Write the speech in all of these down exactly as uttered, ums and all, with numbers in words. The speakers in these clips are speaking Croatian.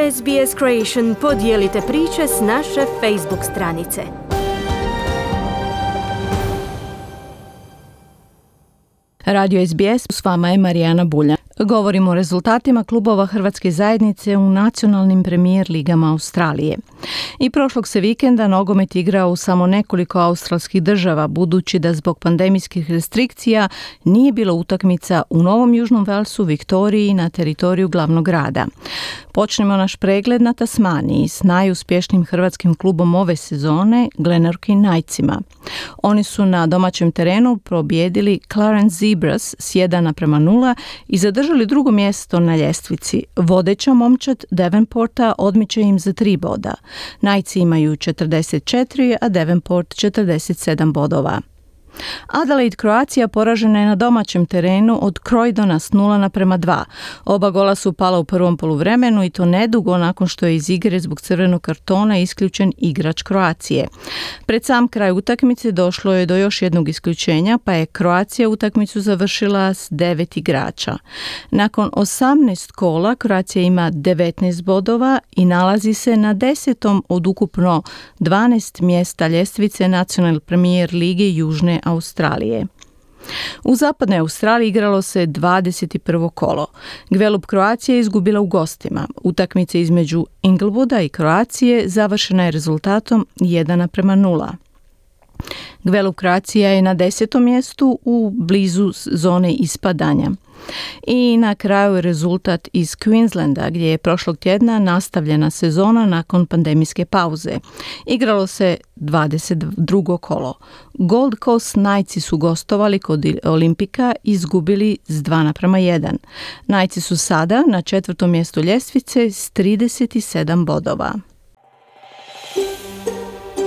S B S Creation podijelite priče s naše Facebook stranice. Radio S B S, s vama je Marijana Buljan. Govorimo o rezultatima klubova Hrvatske zajednice u nacionalnim premijer ligama Australije. I prošlog se vikenda nogomet igrao u samo nekoliko australskih država, budući da zbog pandemijskih restrikcija nije bilo utakmica u Novom Južnom Velsu, Viktoriji na teritoriju glavnog grada. Počnemo naš pregled na Tasmaniji s najuspješnijim hrvatskim klubom ove sezone, Glenorchy Knightsima. Oni su na domaćem terenu pobijedili Clarence Zebras s jedan naprema nula i zadržali drugo mjesto na ljestvici. Vodeća momčad Devonporta odmiče im za tri boda. Knightsi imaju četrdeset četiri, a Devonport četrdeset sedam bodova. Adelaide Croatia poražena je na domaćem terenu od Croydona s nula naprema dva. Oba gola su pala u prvom poluvremenu i to nedugo nakon što je iz igre zbog crvenog kartona isključen igrač Kroacije. Pred sam kraj utakmice došlo je do još jednog isključenja, pa je Kroacija utakmicu završila s devet igrača. Nakon osamnaest kola Kroacija ima devetnaest bodova i nalazi se na desetom od ukupno dvanaest mjesta ljestvice Nacionalne premijer lige Južne Australije. U zapadnoj Australiji igralo se dvadeset prvo kolo. Gvelup Kroacija je izgubila u gostima. Utakmica između Inglewooda i Kroacije završena je rezultatom jedan naprema nula. Gvelup Kroacija je na desetom mjestu u blizu zone ispadanja. I na kraju je rezultat iz Queenslanda, gdje je prošlog tjedna nastavljena sezona nakon pandemijske pauze. Igralo se dvadeset drugo kolo. Gold Coast Knightsi su gostovali kod Olimpika i izgubili s dva naprema jedan. Knightsi su sada na četvrtom mjestu ljestvice s trideset sedam bodova.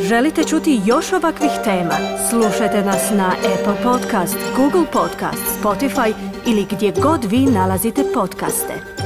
Želite čuti još ovakvih tema? Slušajte nas na Apple Podcast, Google Podcast, Spotify ili gdje god vi nalazite podcaste.